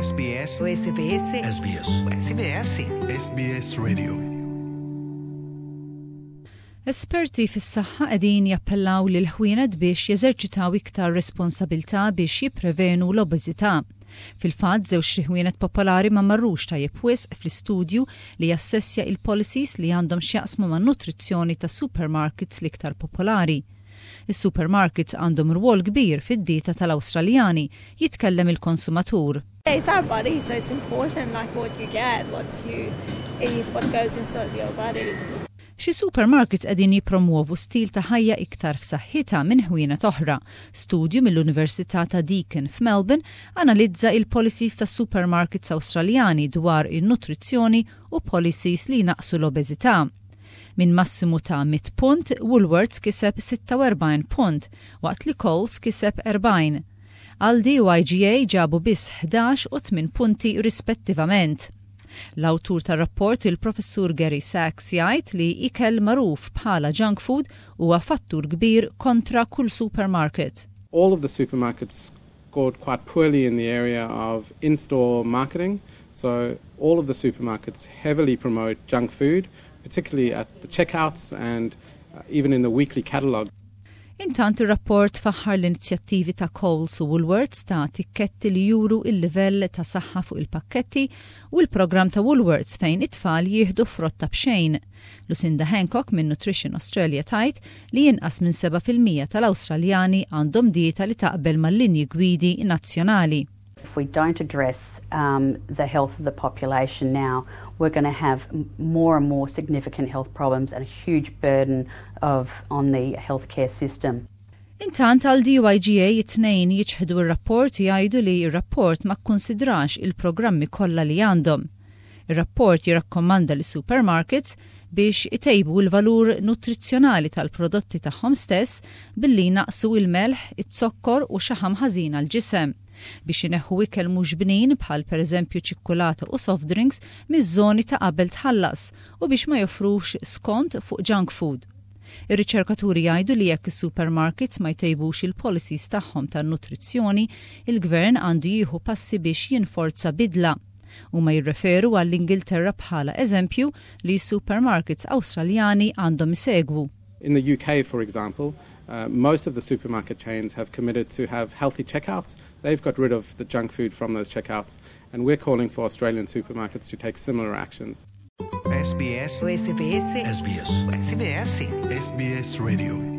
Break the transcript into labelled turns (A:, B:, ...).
A: SBS SBS SBS SBS SBS Radio. Esperti fis-saħħa qegħdin jappellaw lil ħwienet biex jeżerċitaw iktar responsabilità biex jipprevenu l-obeżità. Fil-fatt, żewġ ħwienet popolari ma marrux tajjeb wisq fl-istudju li jassessja il-policies li għandhom x'jaqsmu man-nutrizzjoni ta' supermarkets l-iktar popolari. Is-supermarkets għandhom rwol kbir fid-dieta tal-Awstraljani, jitkellem il-konsumatur.
B: It's our body, so it's important, like, what you get, what you eat, what goes inside your body.
A: Xi supermarkets qegħdin jippromuovu stil ta' ħajja iktar f'saħħitha minn ħwienet oħra. Studju mill-Università ta' Deakin f'Melbourne analizza il-policies ta' supermarkets Awstraljani dwar in-nutrizzjoni u policies li jnaqsu l-obeżità. Minn massimu ta' 100 punt, Woolworths kiseb 46 punt, waqt li Coles kiseb 40. Aldi u IGA ġabu biss 11 u 8 punti rispettivament. L-awtur tar-rapport, il-professur Gary Sachs, jgħid li ikel magħruf bħala junk food huwa fattur kbir kontra kull supermarket.
C: All of the supermarkets scored quite poorly in the area of in-store marketing. So all of the supermarkets heavily promote junk food, particularly at the checkouts and even in the weekly catalogue.
A: Intant, ir-rapport faħħar l-inizjattivi ta' Coles u Woolworths ta' tikketti li juru il-livell ta' saħħa fuq il-pakketti u l-programm ta' Woolworths fejn it-tfal jieħdu frotta b'xejn. Lucinda Hancock minn Nutrition Australia tgħid li inqas minn 7% tal-Awstraljani għandhom dieta li taqbel mal-linji gwidi nazzjonali.
D: If we don't address the health of the population now, we're going to have more and more significant health problems and a huge burden on the healthcare system.
A: Intant, Aldi u IGA it-tnejn jiċħdu r-rapport u jgħidu li r-rapport ma kkonsidrax il-programmi kollha li għandhom. Ir-rapport jirrakkomanda li supermarkets biex itejbu l-valur nutrizzjonali tal-prodotti tagħhom stess billi naqsu il-melħ, it-zokkor u xaħam ħażin għal-ġisem, biex ineħħu ikel mhux bnin bħal pereżempju ċikkulata u soft drinks miż-żoni ta' qabel tħallas u biex ma joffrux skont fuq junk food. Ir-riċerkaturi jgħidu li jekk is-supermarkets ma jtejbux il-policies tagħhom tan-nutrizzjoni, il-gvern għandu jieħu passi biex jinforza bidla. U ma jirreferu għall-Ingilterra bħala eżempju li supermarkets Awstraljani għandhom isegwu.
C: In the UK, for example, most of the supermarket chains have committed to have healthy checkouts. They've got rid of the junk food from those checkouts, and we're calling for Australian supermarkets to take similar actions.
A: SBS SBS SBS SBS SBS Radio.